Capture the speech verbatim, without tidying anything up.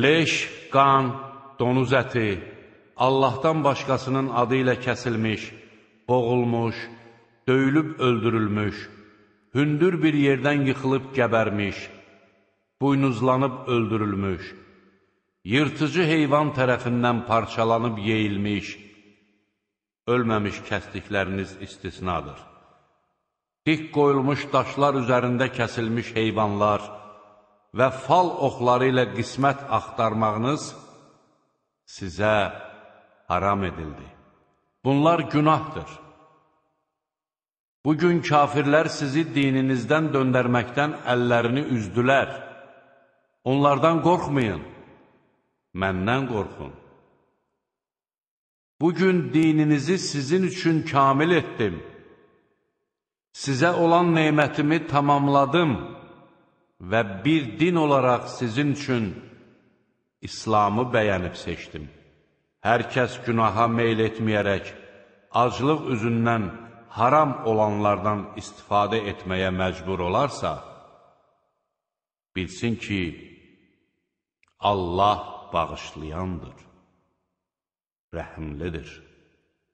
Leş, qan, donuz əti, Allahdan başqasının adı ilə kəsilmiş, boğulmuş, döyülüb öldürülmüş, hündür bir yerdən yıxılıb gəbərmiş, buynuzlanıb öldürülmüş, yırtıcı heyvan tərəfindən parçalanıb yeyilmiş, ölməmiş kəsdikləriniz istisnadır. Dik qoyulmuş daşlar üzərində kəsilmiş heyvanlar və fal oxları ilə qismət axtarmağınız sizə haram edildi. Bunlar günahdır. Bugün kafirlər sizi dininizdən döndərməkdən əllərini üzdülər. Onlardan qorxmayın, məndən qorxun. Bugün dininizi sizin üçün kamil etdim. Sizə olan neymətimi tamamladım və bir din olaraq sizin üçün İslamı bəyənib seçdim. Hər kəs günaha meyl etməyərək, aclıq üzündən haram olanlardan istifadə etməyə məcbur olarsa, bilsin ki, Allah bağışlayandır, rəhimlidir.